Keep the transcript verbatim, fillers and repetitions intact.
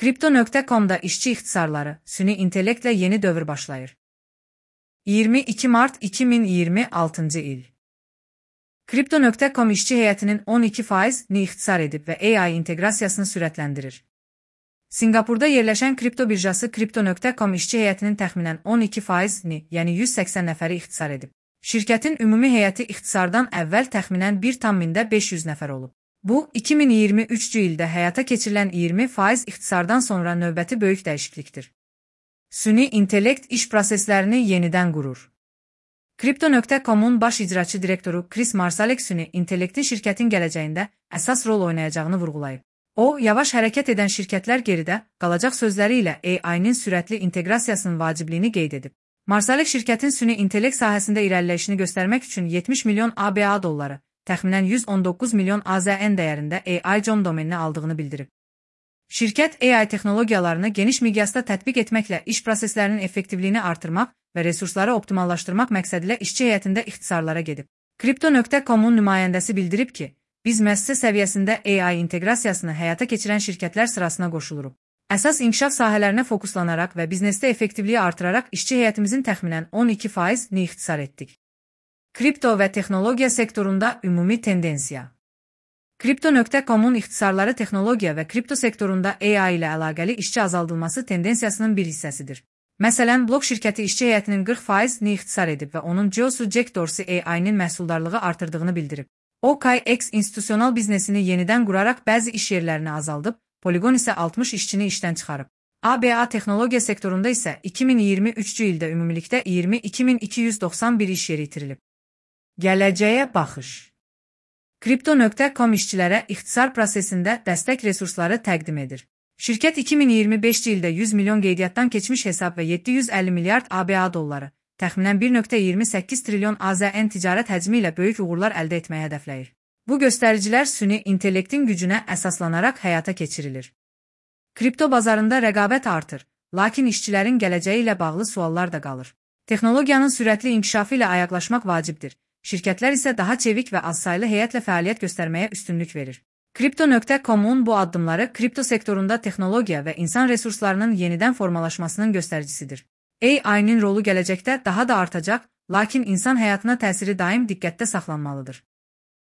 Kripto nokta com'da işçi ixtisarları, süni intellektlə yeni dövr başlayır. iyirmi iki Mart iki min iyirmi altıncı il. Kripto nokta com işçi heyətinin on iki faizini ixtisar edib və A I inteqrasiyasını sürətləndirir. Singapurda yerləşən kripto birjası Kripto nokta com işçi heyətinin təxminən on iki faizini, yəni yüz səksən nəfəri ixtisar edib. Şirkətin ümumi heyəti ixtisardan əvvəl təxminən bir tam mində beş yüz nəfər olub. Bu, iki min iyirmi üçüncü ildə həyata keçirilən iyirmi faiz ixtisardan sonra növbəti böyük dəyişiklikdir. Süni intellekt iş proseslərini yenidən qurur. Kripto nokta com'un baş icraçı direktoru Chris Marsalek süni intellektin şirkətin gələcəyində əsas rol oynayacağını vurğulayıb. O, yavaş hərəkət edən şirkətlər geridə qalacaq sözləri ilə A I-nin sürətli inteqrasiyasının vacibliyini qeyd edib. Marsalek şirkətin süni intellekt sahəsində irəliləyişini göstərmək üçün yetmiş milyon A B A dolları, təxminən yüz on doqquz milyon A Z N dəyərində A I nokta com domenini aldığını bildirib. Şirkət A I texnologiyalarını geniş miqyasda tətbiq etməklə iş proseslərinin effektivliyini artırmaq və resursları optimallaşdırmaq məqsədilə işçi heyətində ixtisarlara gedib. Kripto nokta com'un nümayəndəsi bildirib ki, biz müəssisə səviyyəsində A I inteqrasiyasını həyata keçirən şirkətlər sırasına qoşuluruq. Əsas inkişaf sahələrinə fokuslanaraq və biznesdə effektivliyi artıraraq işçi heyətimizin təxminən on iki faizini ixtisar etdik. Kripto və texnologiya sektorunda ümumi tendensiya. Kripto nokta com'un ixtisarları texnologiya və kripto sektorunda A I ilə əlaqəli işçi azaldılması tendensiyasının bir hissəsidir. Məsələn, blok şirkəti işçi heyətinin qırx faizini ixtisar edib və onun C E O-su Jack Dorsey A I-nin məhsuldarlığı artırdığını bildirib. O, K X institusional biznesini yenidən quraraq bəzi iş yerlərini azaldıb, Polygon isə altmış işçini işdən çıxarıb. A B A texnologiya sektorunda isə iki min iyirmi üçüncü ildə ümumilikdə iyirmi iki min iki yüz doxsan bir iş yeri itirilib. Gələcəyə baxış. Kripto nokta com işçilərə ixtisar prosesində dəstək resursları təqdim edir. Şirkət iki min iyirmi beşinci ildə yüz milyon qeydiyyatdan keçmiş hesab və yeddi yüz əlli milyard A B A dolları, təxminən bir nöqtə iyirmi səkkiz trilyon A Z N ticarət həcmi ilə böyük uğurlar əldə etməyə hədəfləyir. Bu göstəricilər süni intellektin gücünə əsaslanaraq həyata keçirilir. Kripto bazarında rəqabət artır, lakin işçilərin gələcəyi ilə bağlı suallar da qalır. Texnologiyanın sürətli inkişafı ilə ayaqlaşmaq vacibdir. Şirkətlər isə daha çevik və azsaylı heyətlə fəaliyyət göstərməyə üstünlük verir. Kripto nokta com'un bu addımları kripto sektorunda texnologiya və insan resurslarının yenidən formalaşmasının göstəricisidir. A I-nin rolu gələcəkdə daha da artacaq, lakin insan həyatına təsiri daim diqqətdə saxlanmalıdır.